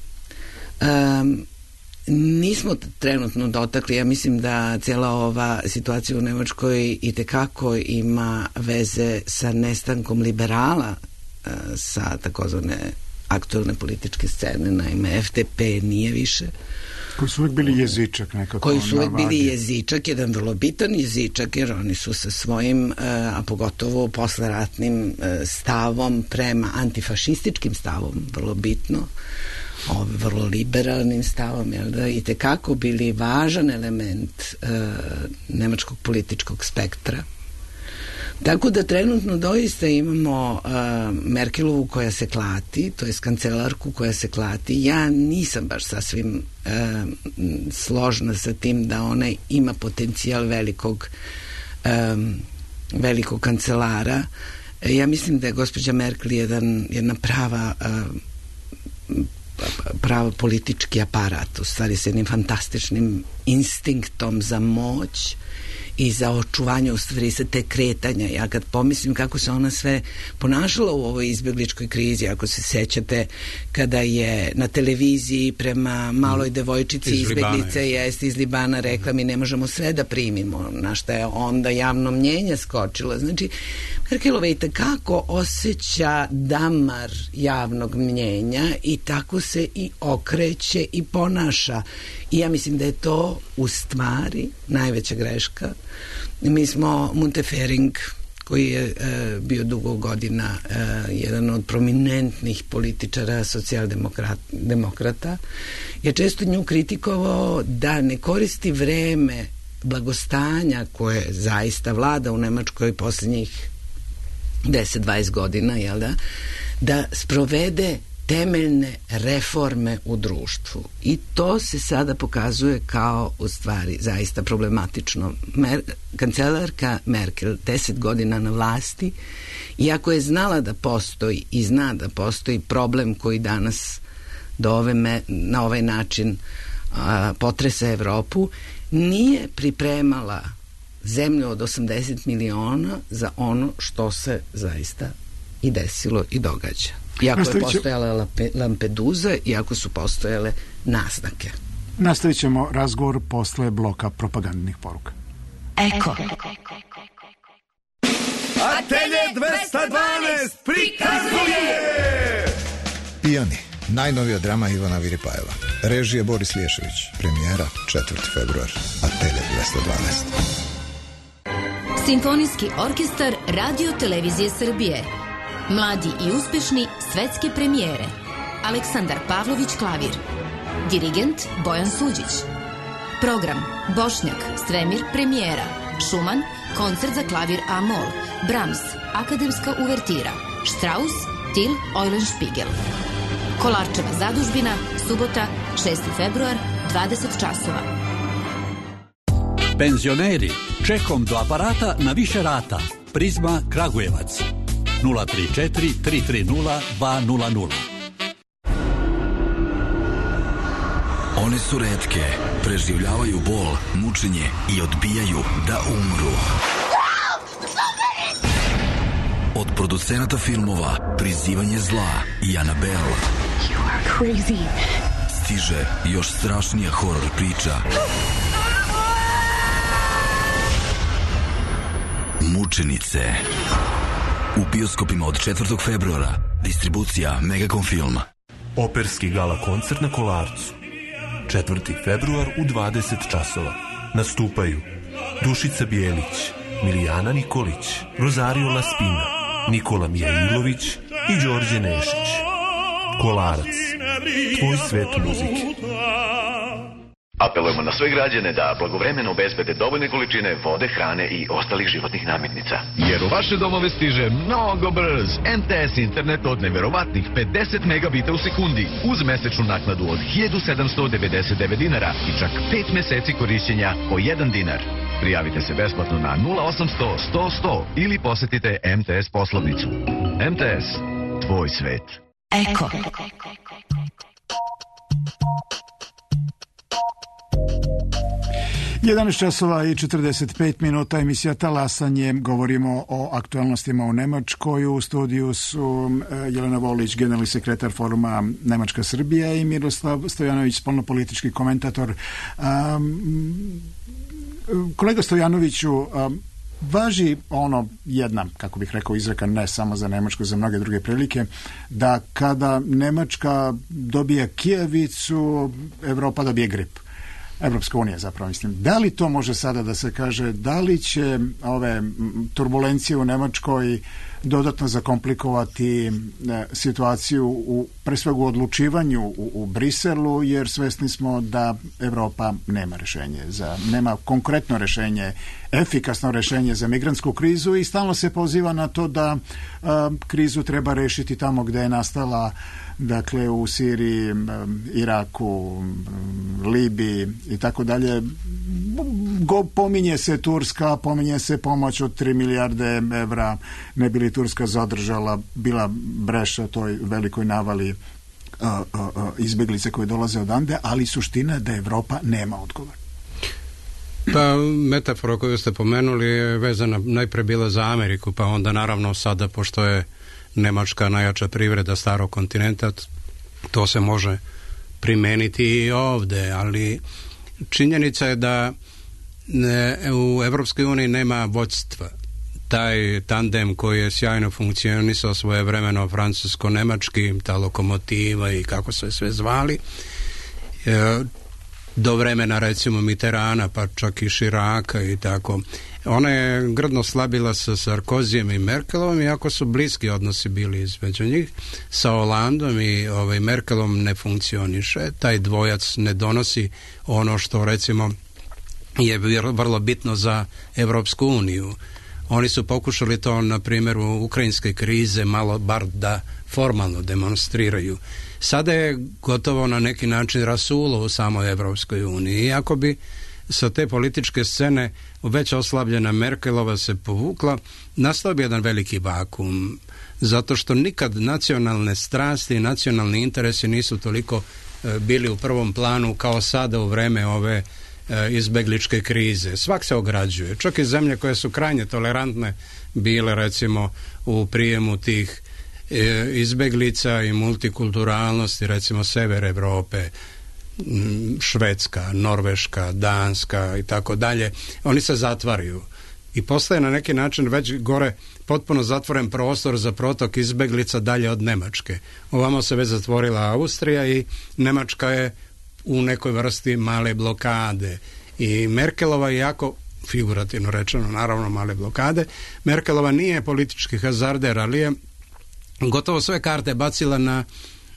Nismo trenutno dotakli, ja mislim da cijela ova situacija u Nemačkoj itekako ima veze sa nestankom liberala sa takozvane aktualne političke scene, naime FDP nije više. Koji su uvijek bili jezičak nekako. Koji su uvijek bili jezičak, jedan vrlo bitan jezičak, jer oni su sa svojim, a pogotovo posleratnim stavom prema antifašističkim stavom, vrlo bitno, vrlo liberalnim stavom, i tekako bili važan element nemačkog političkog spektra. Tako da trenutno doista imamo Merkelovu koja se klati, to je kancelarku koja se klati. Ja nisam baš sasvim složna sa tim da ona ima potencijal velikog kancelara. Ja mislim da je gospođa Merkel jedna prava politički aparat, u stvari s jednim fantastičnim instinktom za moć i za očuvanje u stvari sa te kretanja. Ja kad pomislim kako se ona sve ponašala u ovoj izbjegličkoj krizi, ako se sećate kada je na televiziji prema maloj devojčici izbjeglice iz Libana rekla mi ne možemo sve da primimo, na šta je onda javno mnjenje skočilo. Znači, Merkelova i takako osjeća damar javnog mnjenja i tako se i okreće i ponaša. I ja mislim da je to u stvari najveća greška. Mi smo Muntefering, koji je bio dugo godina jedan od prominentnih političara socijaldemokrata, je često nju kritikovao da ne koristi vreme blagostanja koje zaista vlada u Nemačkoj posljednjih 10-20 godina, da sprovede temeljne reforme u društvu. I to se sada pokazuje kao u stvari zaista problematično. Kancelarka Merkel 10 godina na vlasti, iako je znala da postoji i zna da postoji problem koji danas na ovaj način potresa Evropu, nije pripremala zemlju od 80 miliona za ono što se zaista i desilo i događa. Iako je postojala Lampedusa, iako su postojale naznake. Nastavit ćemo razgovor posle bloka propagandnih poruka. Eko. Atelje 212 prikazuje Pijani, najnovija drama Ivana Viripajeva. Režije Boris Liješević. Premijera 4. februar. Atelje 212. Simfonijski orkestar Radio Televizije Srbije. Mladi i uspešni svetske premijere. Aleksandar Pavlović klavir. Dirigent Bojan Suđić. Program: Bošnjak, Svemir, premijera. Schumann, koncert za klavir A-mol. Brahms, akademska uvertira. Strauss, Till, Eulenspiegel. Kolarčeva zadužbina, subota, 6. februar, 20 časova. Penzioneri, čekom do aparata na više rata. Prizma Kragujevac. 034 330 200. One su retke, preživljavaju bol, mučenje i odbijaju da umru. Od producenata filmova Prizivanje zla i Annabelle stiže još strašnija horor priča. Mučenice. U bioskopima od 4. februara. Distribucija Megacom Film. Operski gala koncert na Kolarcu. 4. februar u 20 časova. Nastupaju Dušica Bijelić, Milijana Nikolić, Rosario Laspina, Nikola Mijailović i Đorđe Nešić. Kolarac. Tvoj svet muzike. Apelujemo na sve građane da blagovremeno obezbede dovoljne količine vode, hrane i ostalih životnih namirnica. Jer u vaše domove stiže mnogo brz MTS internet od neverovatnih 50 megabita u sekundi uz mesečnu naknadu od 1799 dinara i čak 5 meseci korišćenja po 1 dinar. Prijavite se besplatno na 0800 100 100 ili posetite MTS poslovnicu. MTS, tvoj svet. Eko. 11 časova i 45 minuta, emisija Talasanje. Govorimo o aktualnostima u Nemačkoj. U studiju su Jelena Volić, generalni sekretar foruma Nemačka-Srbija, i Miroslav Stojanović, spoljnopolitički komentator. Kolega Stojanoviću, važi ono jedna, kako bih rekao, izreka ne samo za Nemačku, za mnoge druge prilike, da kada Nemačka dobije kijevicu, Evropa dobije grip. Evropska unija, zapravo mislim. Da li to može sada da se kaže, da li će ove turbulencije u Nemačkoj dodatno zakomplikovati situaciju pre svega u odlučivanju u Briselu, jer svesni smo da Evropa nema rešenje, nema konkretno rešenje, efikasno rešenje za migrantsku krizu, i stalno se poziva na to da krizu treba rešiti tamo gde je nastala, dakle u Siriji, Iraku, Libiji i tako dalje. Pominje se Turska, pominje se pomoć od 3 milijarde evra, ne bi li Turska zadržala, bila breša toj velikoj navali izbjeglice koje dolaze odande, ali suština je da Evropa nema odgovor. Pa metafora koju ste pomenuli je vezana najpre bila za Ameriku, pa onda naravno sada, pošto je Nemačka najjača privreda starog kontinenta, to se može primeniti i ovde, ali činjenica je da u Evropskoj uniji nema vođstva. Taj tandem koji je sjajno funkcionisao svojevremeno francusko-nemački, ta lokomotiva i kako se sve zvali, do vremena recimo Mitterranda, pa čak i Chiraca i tako. Ona je grdno slabila sa Sarkozijem i Merkelom, iako su bliski odnosi bili između njih. Sa Hollandom i Merkelom ne funkcioniše. Taj dvojac ne donosi ono što recimo je vrlo bitno za Evropsku uniju. Oni su pokušali to na primjeru ukrajinske krize malo bar da formalno demonstriraju. Sada je gotovo na neki način rasulo u samoj Evropskoj uniji. Iako bi sa te političke scene već oslabljena Merkelova se povukla, nastao bi jedan veliki vakum, zato što nikad nacionalne strasti i nacionalni interesi nisu toliko bili u prvom planu kao sada u vreme ove izbegličke krize. Svak se ograđuje. Čak i zemlje koje su krajnje tolerantne bile recimo u prijemu tih izbeglica i multikulturalnosti, recimo sever Evrope, Švedska, Norveška, Danska i tako dalje, oni se zatvaraju i postaje na neki način već gore potpuno zatvoren prostor za protok izbeglica dalje od Nemačke. Ovamo se već zatvorila Austrija i Nemačka je u nekoj vrsti male blokade i Merkelova, jako figurativno rečeno, naravno male blokade, Merkelova nije politički hazarder, ali je gotovo sve karte bacila na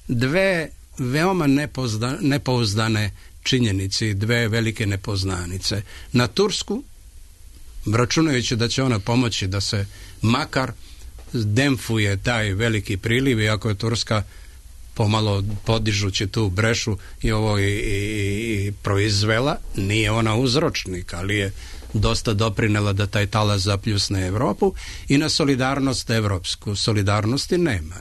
dve veoma nepouzdane činjenici dve velike nepoznanice. Na Tursku, računajući da će ona pomoći da se makar demfuje taj veliki priliv, iako je Turska pomalo podižući tu brešu i proizvela, nije ona uzročnik, ali je dosta doprinela da taj talas zapljusne Evropu, i na solidarnost evropsku. Solidarnosti nema.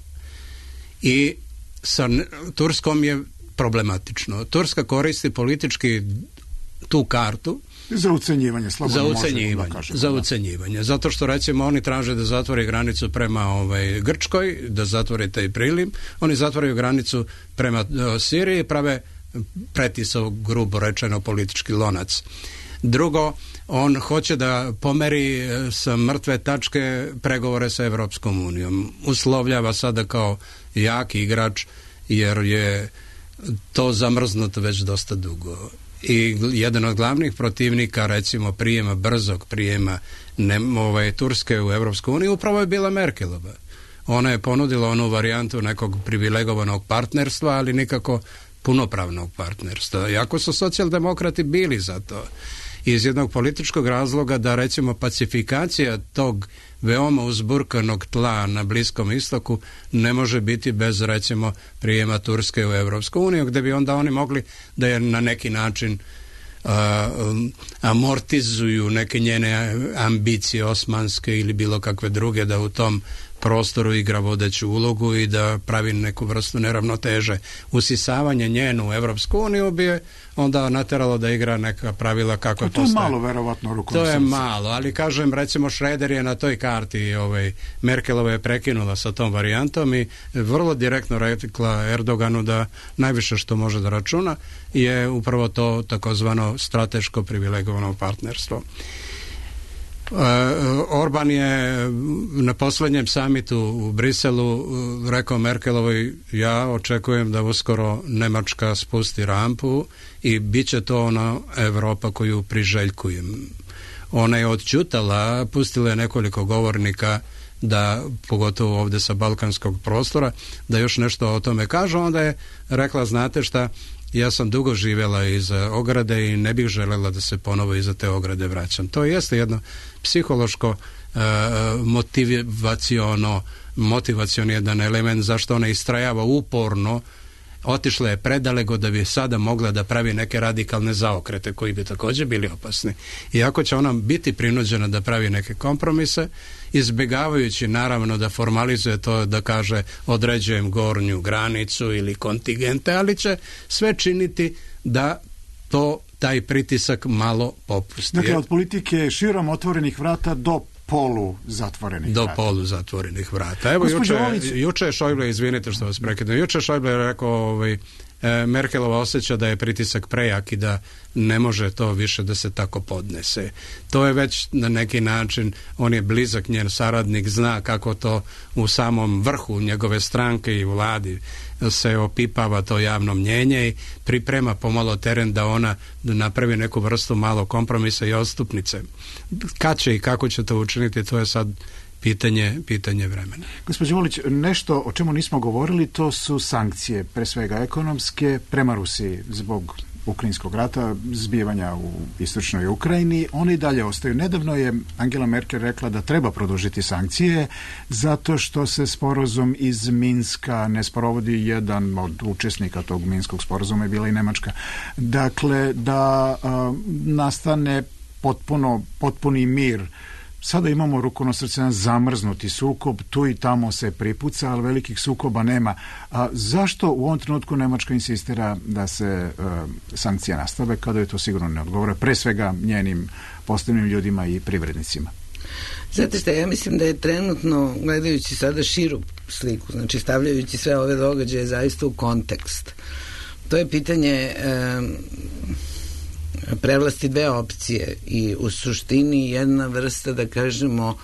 I sa Turskom je problematično. Turska koristi politički tu kartu za ucenjivanje, za ucenjivanje. Zato što, recimo, oni traže da zatvori granicu prema Grčkoj, da zatvori taj priliv. Oni zatvaraju granicu prema Siriji i prave pretisao, grubo rečeno, politički lonac. Drugo, on hoće da pomeri sa mrtve tačke pregovore sa Evropskom unijom. Uslovljava sada kao jaki igrač, jer je to zamrznuto već dosta dugo. I jedan od glavnih protivnika, recimo, brzog prijema Turske u Evropsku uniju upravo je bila Merkelova. Ona je ponudila onu varijantu nekog privilegovanog partnerstva, ali nikako punopravnog partnerstva. Iako su socijaldemokrati bili za to. Iz jednog političkog razloga da, recimo, pacifikacija tog veoma uzburkanog tla na Bliskom istoku ne može biti bez, recimo, prijema Turske u Evropsku uniju, gdje bi onda oni mogli da je na neki način amortizuju neke njene ambicije osmanske ili bilo kakve druge, da u tom prostoru igra vodeću ulogu i da pravi neku vrstu neravnoteže. Usisavanje njenu u Evropsku uniju bi je onda nateralo da igra neka pravila kako to je malo, verovatno, rukom to je malo, ali kažem, recimo, Šreder je na toj karti, Merkelova je prekinula sa tom varijantom i vrlo direktno rekla Erdoganu da najviše što može da računa je upravo to takozvano strateško privilegovano partnerstvo. Orban je na posljednjem samitu u Briselu rekao Merkelovoj: ja očekujem da uskoro Nemačka spusti rampu i bit će to ona Evropa koju priželjkujem. Ona je odćutala, pustila je nekoliko govornika da, pogotovo ovdje sa balkanskog prostora, da još nešto o tome kažu. Onda je rekla: znate šta, ja sam dugo živjela iza ograde i ne bih željela da se ponovo iza te ograde vraćam. To jeste jedno psihološko motivacioni jedan element zašto ona istrajava uporno. Otišla je predaleko da bi sada mogla da pravi neke radikalne zaokrete koji bi također bili opasni. Iako će ona biti prinuđena da pravi neke kompromise, izbjegavajući naravno da formalizuje to, da kaže određujem gornju granicu ili kontingente, ali će sve činiti da taj pritisak malo popusti. Dakle, od politike širom otvorenih vrata do poluzatvorenih vrata. Evo, juče je Šojble, izvinite što vas prekidam, juče je Šojble rekao Merkelova osjeća da je pritisak prejak i da ne može to više da se tako podnese. To je već na neki način, on je blizak njen saradnik, zna kako to u samom vrhu njegove stranke i vladi se opipava to javno mnjenje i priprema pomalo teren da ona napravi neku vrstu malo kompromisa i odstupnice. Kad će i kako će to učiniti, to je sad pitanje vremena. Gospođo Volić, nešto o čemu nismo govorili, to su sankcije, pre svega ekonomske, prema Rusiji zbog ukrajinskog rata, zbivanja u istočnoj Ukrajini. One i dalje ostaju. Nedavno je Angela Merkel rekla da treba produžiti sankcije zato što se sporazum iz Minska ne sprovodi. Jedan od učesnika tog Minskog sporazuma je bila i Nemačka. Dakle, da nastane potpuni mir. Sada imamo ruku na srce zamrznuti sukob, tu i tamo se pripuca, ali velikih sukoba nema. Zašto u ovom trenutku Nemačka insistira da se sankcije nastave, kada je to sigurno ne odgovara, pre svega njenim postavnim ljudima i privrednicima? Znate šta, ja mislim da je trenutno, gledajući sada širu sliku, znači stavljajući sve ove događaje zaista u kontekst, to je pitanje prevlasti dve opcije i u suštini jedna vrsta, da kažemo,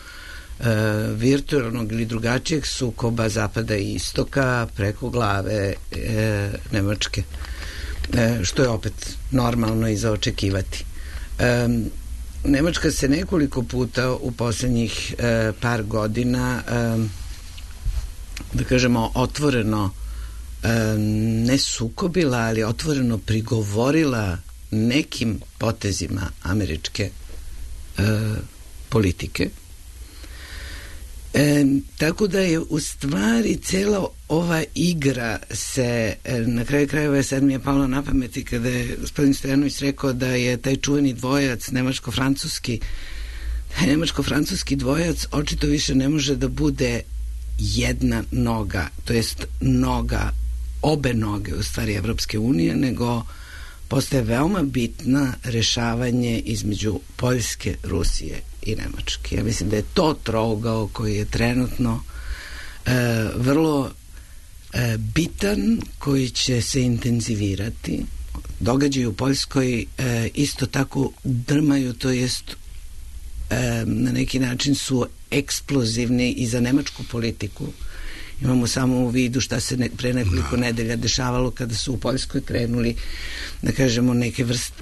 virtualnog ili drugačijeg sukoba zapada i istoka preko glave Nemačke, što je opet normalno i za očekivati. Nemačka se nekoliko puta u posljednjih par godina, da kažemo, otvoreno ne sukobila, ali otvoreno prigovorila nekim potezima američke politike. Tako da je u stvari cela ova igra se na kraju krajeva sad mi je palo na pameti kada je gospodin Stojanović rekao da je taj čuveni dvojac nemačko-francuski dvojac očito više ne može da bude jedna noga, to jest obe noge u stvari Evropske unije, nego postaje veoma bitna rešavanje između Poljske, Rusije i Nemačke. Ja mislim da je to trougao koji je trenutno vrlo bitan, koji će se intenzivirati. Događaji u Poljskoj isto tako drmaju, to jest na neki način su eksplozivni i za nemačku politiku. Imamo samo u vidu šta se pre nekoliko nedelja dešavalo kada su u Poljskoj krenuli, da kažemo,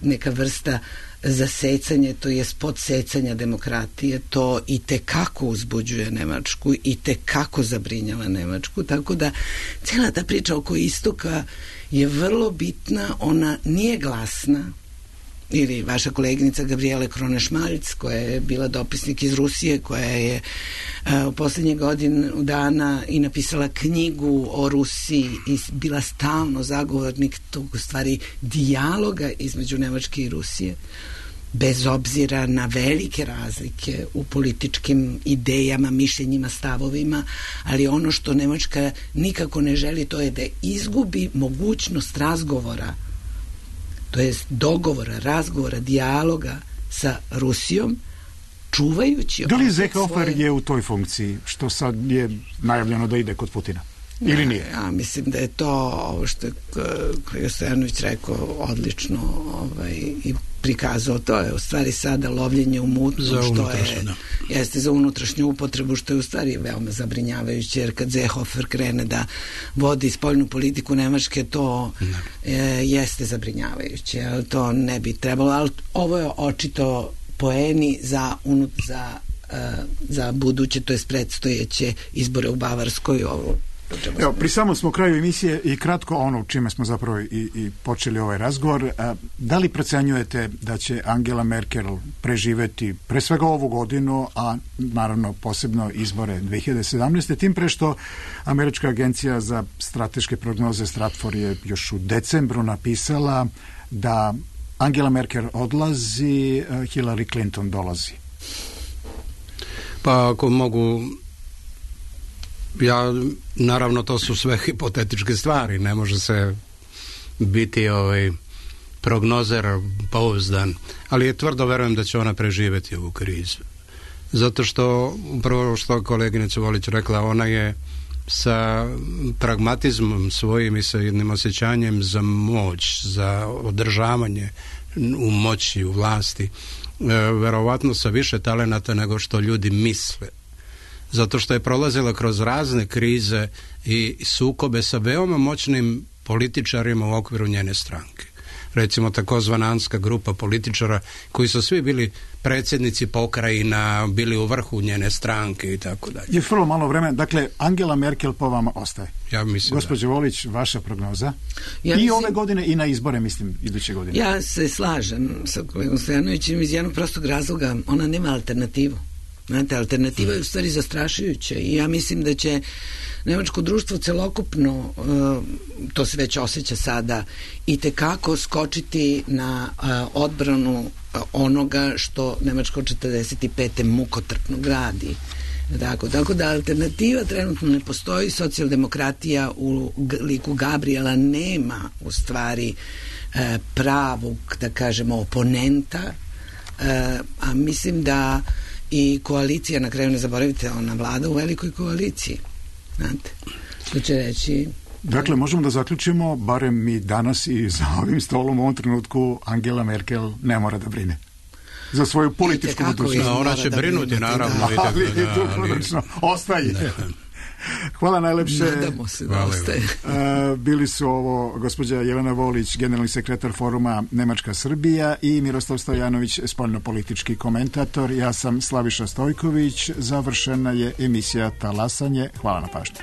neka vrsta zasecanja, to je podsecanja demokratije. To i tekako uzbuđuje Nemačku, i tekako zabrinjava Nemačku, tako da cela ta priča oko istoka je vrlo bitna, ona nije glasna. Ili vaša koleginica Gabriele Krone-Šmalc, koja je bila dopisnik iz Rusije, koja je u poslednje godinu dana i napisala knjigu o Rusiji i bila stalno zagovornik tog, u stvari, dijaloga između Nemačke i Rusije, bez obzira na velike razlike u političkim idejama, mišljenjima, stavovima, ali ono što Nemačka nikako ne želi, to je da izgubi mogućnost razgovora, to jest dogovora, razgovora, dijaloga sa Rusijom, čuvajući... Da li Seehofer je u toj funkciji, što sad je najavljeno da ide kod Putina? Ili nije? Ja mislim da je to, ovo što je kolega Stojanović rekao, odlično i prikazao. To je u stvari sada lovljenje u mutnom, što jeste za unutrašnju upotrebu, što je u stvari veoma zabrinjavajuće, jer kad Seehofer krene da vodi spoljnu politiku Nemačke, to jeste zabrinjavajuće, ali to ne bi trebalo, ali ovo je očito poeni za buduće, to je predstojeće izbore u Bavarskoj. Evo, pri samom smo kraju emisije i kratko ono čime smo zapravo i počeli ovaj razgovor. Da li procenjujete da će Angela Merkel preživeti pre svega ovu godinu, a naravno posebno izbore 2017. Tim pre što Američka agencija za strateške prognoze Stratfor je još u decembru napisala da Angela Merkel odlazi, Hillary Clinton dolazi. Pa ako mogu... naravno to su sve hipotetičke stvari, ne može se biti prognozer pouzdan, ali je tvrdo verujem da će ona preživjeti ovu krizu. Zato što, upravo što koleginica Volić rekla, ona je sa pragmatizmom svojim i sa jednim osjećanjem za moć, za održavanje u moći, u vlasti, verovatno sa više talenata nego što ljudi misle. Zato što je prolazila kroz razne krize i sukobe sa veoma moćnim političarima u okviru njene stranke. Recimo takozvana Anska grupa političara koji su svi bili predsjednici pokrajina, bili u vrhu njene stranke i tako dalje. Je vrlo malo vremena. Dakle, Angela Merkel po vama ostaje. Ja mislim Gospođo Volić, vaša prognoza? I ove godine i na izbore, mislim, iduće godine. Ja se slažem sa kolegom Stojanovićem iz jednog prostog razloga. Ona nema alternativu. Znate, alternativa je u stvari zastrašujuća i ja mislim da će nemačko društvo celokupno, to se već osjeća sada, i tekako skočiti na odbranu onoga što Nemačko 45. mukotrpno gradi. Tako da alternativa trenutno ne postoji. Socijaldemokratija u liku Gabriela nema u stvari pravog, da kažemo, oponenta, a mislim da i koalicija, na kraju ne zaboravite, ona vlada u velikoj koaliciji. Znate, što će reći... Dakle, možemo da zaključimo, barem mi danas i za ovim stolom u ovom trenutku, Angela Merkel ne mora da brine za svoju političku budućnost. Ona će brinuti, naravno. Ali dugoročno ostaje. Hvala najlepše. Nadamo se da ostaje. Bili su ovo gospođa Jelena Volić, generalni sekretar foruma Nemačka Srbija, i Miroslav Stojanović, spoljnopolitički komentator. Ja sam Slaviša Stojković. Završena je emisija Talasanje. Hvala na pažnji.